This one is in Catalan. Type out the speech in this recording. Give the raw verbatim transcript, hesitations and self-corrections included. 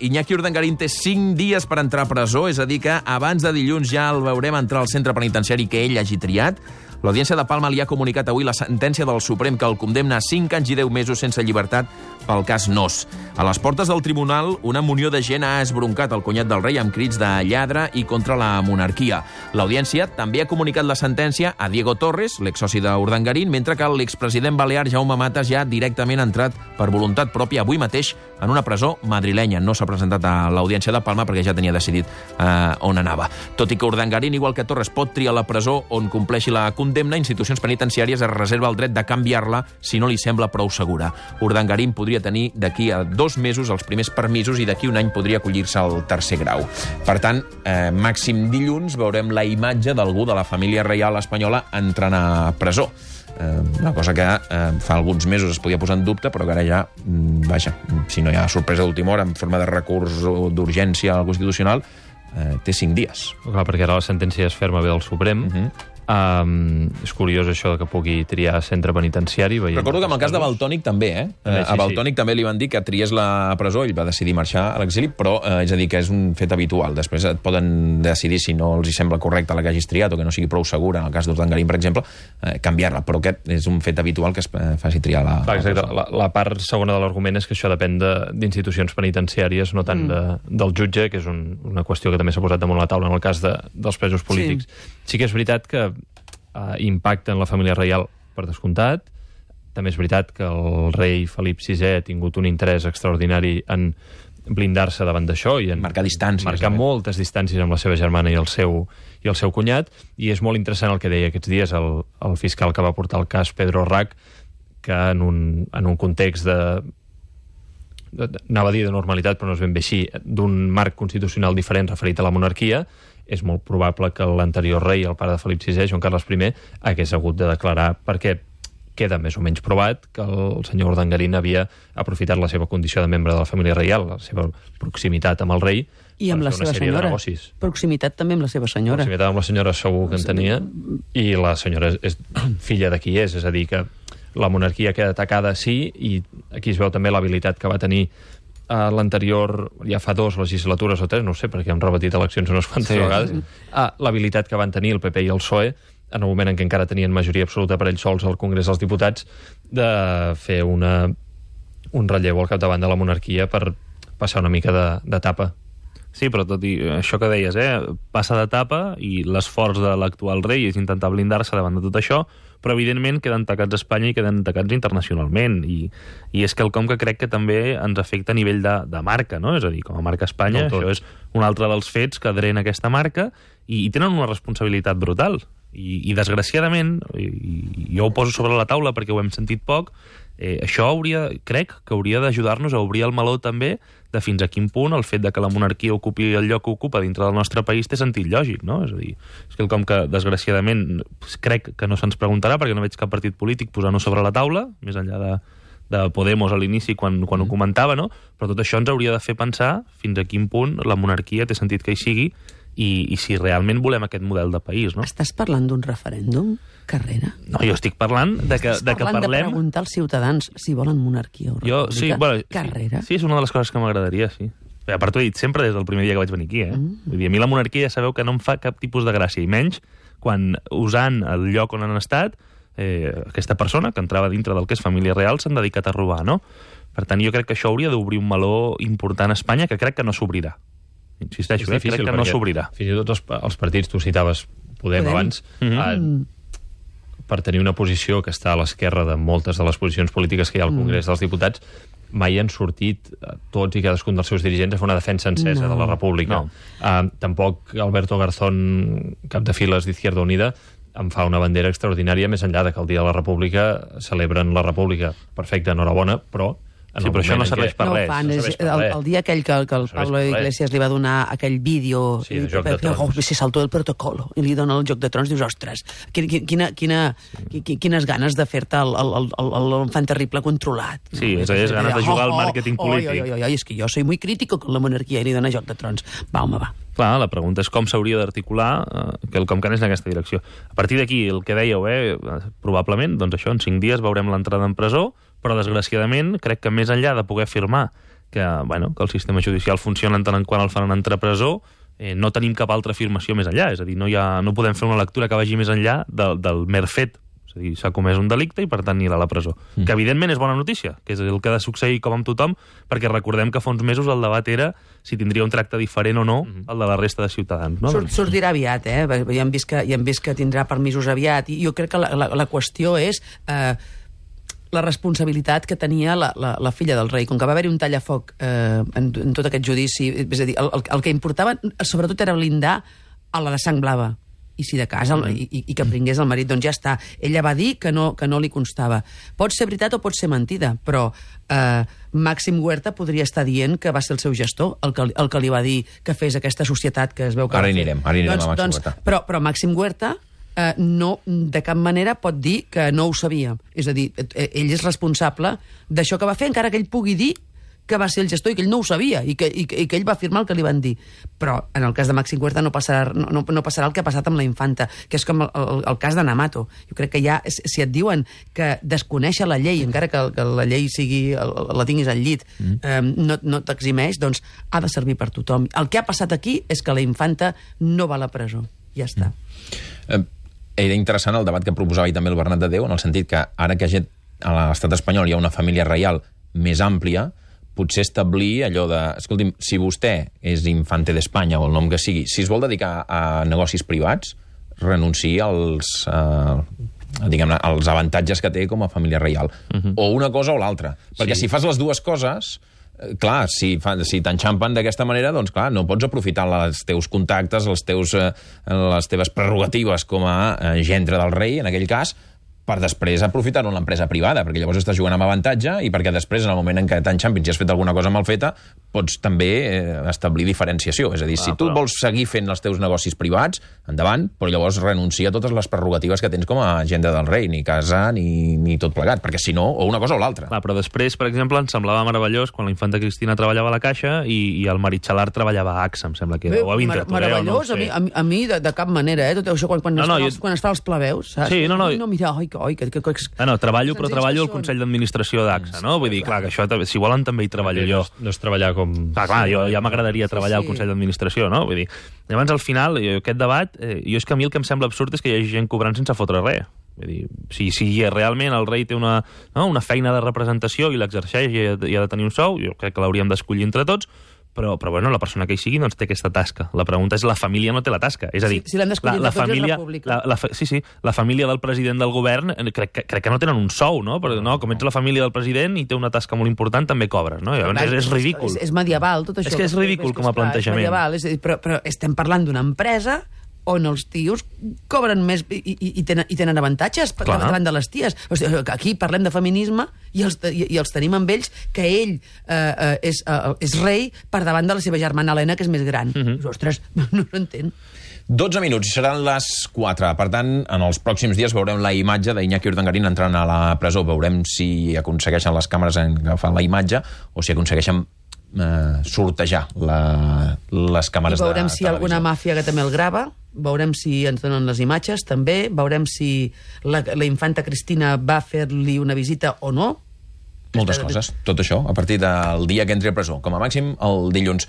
Iñaki Urdangarín té cinc dies per entrar a presó, és a dir que abans de dilluns ja el veurem entrar al centre penitenciari que ell hagi triat. L'Audiència de Palma li ha comunicat avui la sentència del Suprem que el condemna a cinc anys i deu mesos sense llibertat pel cas Nóos. A les portes del tribunal, una munió de gent ha esbroncat el cunyat del rei amb crits de lladre i contra la monarquia. L'Audiència també ha comunicat la sentència a Diego Torres, l'exsoci d'Urdangarín, mentre que l'expresident balear Jaume Matas ja directament ha entrat per voluntat pròpia avui mateix en una presó madrilenya. No s'ha presentat a l'Audiència de Palma perquè ja tenia decidit eh, on anava. Tot i que Urdangarín, igual que Torres, pot triar la presó on compleixi la condemna, institucions penitenciàries es reserva el dret de canviar-la si no li sembla prou segura. Urdangarín podria tenir d'aquí a dos mesos els primers permisos i d'aquí un any podria acollir-se al tercer grau. Per tant, eh, màxim dilluns veurem la imatge d'algú de la família reial espanyola entrant a presó. Eh, una cosa que eh, fa alguns mesos es podia posar en dubte, però que ara ja, mm, vaja, si no hi ha sorpresa d'última hora en forma de recurs d'urgència al Constitucional, eh, té cinc dies. Clar, perquè ara la sentència és ferma ve del Suprem. Uh-huh. Um, és curiós això que pugui triar centre penitenciari. Recordo que en el cas de Valtònyc també, eh? També, sí, a Valtònyc sí. també li van dir que triés la presó, ell va decidir marxar a l'exili, però eh, és a dir, que és un fet habitual. Després et poden decidir, si no els hi sembla correcte la que hagis triat o que no sigui prou segura, en el cas d'Urdangarín, per exemple, eh, canviar-la, però aquest és un fet habitual que es eh, faci triar la, Va, exacte. la presó. La, la part segona de l'argument és que això depèn d'institucions penitenciàries, no tant mm. de, del jutge, que és un, una qüestió que també s'ha posat damunt la taula en el cas de, dels presos polítics. Sí, sí que és veritat que Uh, impacta en la família reial per descomptat. També és veritat que el rei Felip sisè ha tingut un interès extraordinari en blindar-se davant d'això i en marcar distàncies. Marcar eh? moltes distàncies amb la seva germana i el seu, i el seu cunyat. I és molt interessant el que deia aquests dies el, el fiscal que va portar el cas, Pedro Rac, que en un, en un context de, de, anava a dir de normalitat, però no és ben bé així, d'un marc constitucional diferent referit a la monarquia, és molt probable que l'anterior rei, el pare de Felip sisè, Joan Carles I, hagués hagut de declarar, perquè queda més o menys provat que el senyor Urdangarín havia aprofitat la seva condició de membre de la família reial, la seva proximitat amb el rei, i amb la seva senyora. Proximitat també amb la seva senyora. Proximitat amb la senyora segur que en tenia, i la senyora és, és filla de qui és, és a dir, que la monarquia queda atacada, sí, i aquí es veu també l'habilitat que va tenir a l'anterior, ja fa dos legislatures o tres, no ho sé, perquè han repetit eleccions unes quantes sí. vegades, ah, l'habilitat que van tenir el P P i el P S O E, en el moment en què encara tenien majoria absoluta per ells sols al Congrés dels Diputats, de fer una, un relleu al capdavant de la monarquia per passar una mica d'etapa. Sí, però tot i això que deies, eh, passa d'etapa i l'esforç de l'actual rei és intentar blindar-se davant de tot això, però evidentment queden tacats a Espanya i queden tacats internacionalment, i, i és quelcom que crec que també ens afecta a nivell de, de marca, no? És a dir, com a marca Espanya, no, això és un altre dels fets que drena aquesta marca, i, i tenen una responsabilitat brutal, i, i desgraciadament, i, i jo ho poso sobre la taula perquè ho hem sentit poc, eh, això hauria, crec que hauria d'ajudar-nos a obrir el meló també de fins a quin punt el fet de que la monarquia ocupi el lloc que ocupa dintre del nostre país té sentit lògic, no? És a dir, és quelcom que, desgraciadament, crec que no se'ns preguntarà perquè no veig cap partit polític posant-ho sobre la taula, més enllà de, de Podemos a l'inici quan, quan ho comentava, no? Però tot això ens hauria de fer pensar fins a quin punt la monarquia té sentit que hi sigui i, i si realment volem aquest model de país, no? Estàs parlant d'un referèndum, Carrera? No, jo estic parlant de que, de que parlem... de preguntar als ciutadans si volen monarquia o república. Jo, sí, bueno, Carrera? Sí, sí, és una de les coses que m'agradaria, sí. A part, ho he dit sempre des del primer dia que vaig venir aquí, eh? Mm. Vull dir, a mi la monarquia ja sabeu que no em fa cap tipus de gràcia, i menys quan, usant el lloc on han estat, eh, aquesta persona que entrava dintre del que és família real s'han dedicat a robar, no? Per tant, jo crec que això hauria d'obrir un meló important a Espanya que crec que no s'obrirà. Insisteixo, eh? Crec que no s'obrirà. Fins i tot els, els partits, tu citaves Podem, Podem. abans, mm -hmm. eh, per tenir una posició que està a l'esquerra de moltes de les posicions polítiques que hi ha al Congrés mm. dels Diputats, mai han sortit tots i cadascun dels seus dirigents a fer una defensa encesa no. de la República. No. Uh, tampoc Alberto Garzón, cap de files d'Izquierda Unida, em fa una bandera extraordinària, més enllà de que el Dia de la República celebren la República. Perfecte, enhorabona, però... Sí, però això no serveix per no res. Fan, no és, per el, el dia aquell que, que el no Pablo Iglesias li va donar aquell vídeo sí, i, joc de trons. Oh, se saltó el protocolo i li dona el Joc de Trons, dius, ostres, quina, quina, sí. quines ganes de fer-te l'enfant terrible controlat. Sí, és, és ganes de jugar al màrqueting polític. Oi, oi, oi, oi, és que jo soy muy crítico con la monarquia i li dona Joc de Trons. Va, home, va. Clar, la pregunta és com s'hauria d'articular eh, que el com que anés en aquesta direcció. A partir d'aquí, el que dèieu, eh, probablement, doncs això, en cinc dies veurem l'entrada en presó, però desgraciadament crec que més enllà de poder afirmar que, bueno, que el sistema judicial funciona en tant en quant el faran entrar a presó, eh, no tenim cap altra afirmació més enllà. És a dir, no, hi ha, no podem fer una lectura que vagi més enllà del, del mer fet. És a dir, s'ha comès un delicte i, per tant, anirà a la presó. Mm. Que, evidentment, és bona notícia, que és el que ha de succeir com amb tothom, perquè recordem que fa uns mesos el debat era si tindria un tracte diferent o no mm. el de la resta de ciutadans. No? Surt, sortirà aviat, eh? Ja hem vist que, ja hem vist que tindrà permisos aviat, i jo crec que la, la, la qüestió és eh, la responsabilitat que tenia la, la, la filla del rei. Com que va haver-hi un tallafoc eh, en, en tot aquest judici, és a dir, el, el, el que importava sobretot era blindar a la de sang blava, i si de cas, el, i, i que pringués el marit, doncs ja està. Ella va dir que no, que no li constava. Pot ser veritat o pot ser mentida, però eh, Màxim Huerta podria estar dient que va ser el seu gestor el que, el que li va dir que fes aquesta societat que es veu que... Ara hi anirem, ara hi anirem doncs, a Màxim doncs, Huerta. Però, però Màxim Huerta eh, no, de cap manera pot dir que no ho sabia. És a dir, eh, ell és responsable d'això que va fer, encara que ell pugui dir que va ser el gestor i que ell no ho sabia i que, i que, i que ell va afirmar el que li van dir. Però en el cas de Màxim Huerta no passarà, no, no, no passarà el que ha passat amb la infanta, que és com el, el, el cas de Namato. Jo crec que ja, si et diuen que desconèixer la llei, encara que, que la llei sigui, la tinguis al llit, mm. eh, no, no t'eximeix, doncs ha de servir per tothom. El que ha passat aquí és que la infanta no va a la presó. Ja està. Mm. Eh, era interessant el debat que proposava i també el Bernat de Déu, en el sentit que ara que a l'estat espanyol hi ha una família reial més àmplia, potser establir allò de... Escolti'm, si vostè és infante d'Espanya o el nom que sigui, si es vol dedicar a negocis privats, renunciï als, eh, diguem-ne, als avantatges que té com a família reial. Uh-huh. O una cosa o l'altra. Perquè sí. Si fas les dues coses, eh, clar, si, fa, si t'enxampen d'aquesta manera, doncs clar, no pots aprofitar els teus contactes, els teus, eh, les teves prerrogatives com a eh, gendre del rei, en aquell cas, per després aprofitar-ho en l'empresa privada, perquè llavors estàs jugant amb avantatge i perquè després, en el moment en què t'enxampins i has fet alguna cosa mal feta, pots també eh, establir diferenciació. És a dir, ah, si tu però... vols seguir fent els teus negocis privats, endavant, però llavors renuncia a totes les prerrogatives que tens com a agenda del rei, ni casa, ni, ni tot plegat, perquè si no, o una cosa o l'altra. Ah, però després, per exemple, em semblava meravellós quan la infanta Cristina treballava a la Caixa i, i el marit Xalar treballava a A X A, em sembla que era, o a Winterthur. Mar meravellós, no, a mi, a mi, a mi de, de cap manera, eh? Tot això quan, quan, no, no, es, jo... quan es fa els plebeus, saps? Sí, no, no. No, mira, oi, oi, que... que, que, que ah, no, treballo, però treballo al Consell d'Administració d'A X A, no? Vull dir, clar, que això, si volen, també hi treballo jo. No és treballar com... Clar, clar, jo ja m'agradaria treballar sí, sí. al Consell d'Administració, no? Vull dir, llavors, al final, aquest debat, eh, jo és que a mi el que em sembla absurd és que hi hagi gent cobrant sense fotre res. Vull dir, si, si realment el rei té una, no, una feina de representació i l'exerceix i ha, i ha de tenir un sou, jo crec que l'hauríem d'escollir entre tots, però, però bueno, la persona que hi sigui doncs té aquesta tasca. La pregunta és, la família no té la tasca. És a dir, si, si la, la família, la, la, sí, sí, la família del president del govern crec, crec, crec que no tenen un sou, no? Però, no? Com ets la família del president i té una tasca molt important, també cobres, no? Llavors, és, és ridícul. És, és medieval, tot això. És que és ridícul com a plantejament. És medieval, és a dir, però, però estem parlant d'una empresa on els tios cobren més i, i, i, tenen, i tenen avantatges Clar. davant de les ties. O sigui, aquí parlem de feminisme i els, i, i els tenim amb ells que ell eh, eh, és, eh, és rei per davant de la seva germana Helena, que és més gran. Uh-huh. Ostres, no s'entén. dotze minuts, seran les quatre. Per tant, en els pròxims dies veurem la imatge d'Iñaki Urdangarín entrant a la presó. Veurem si aconsegueixen les càmeres en agafar la imatge o si aconsegueixen eh, sortejar la, les càmeres de televisió. I veurem si alguna màfia que també el grava, veurem si ens donen les imatges, també, veurem si la, la infanta Cristina va fer-li una visita o no. Moltes coses, tot això, a partir del dia que entri a presó, com a màxim el dilluns.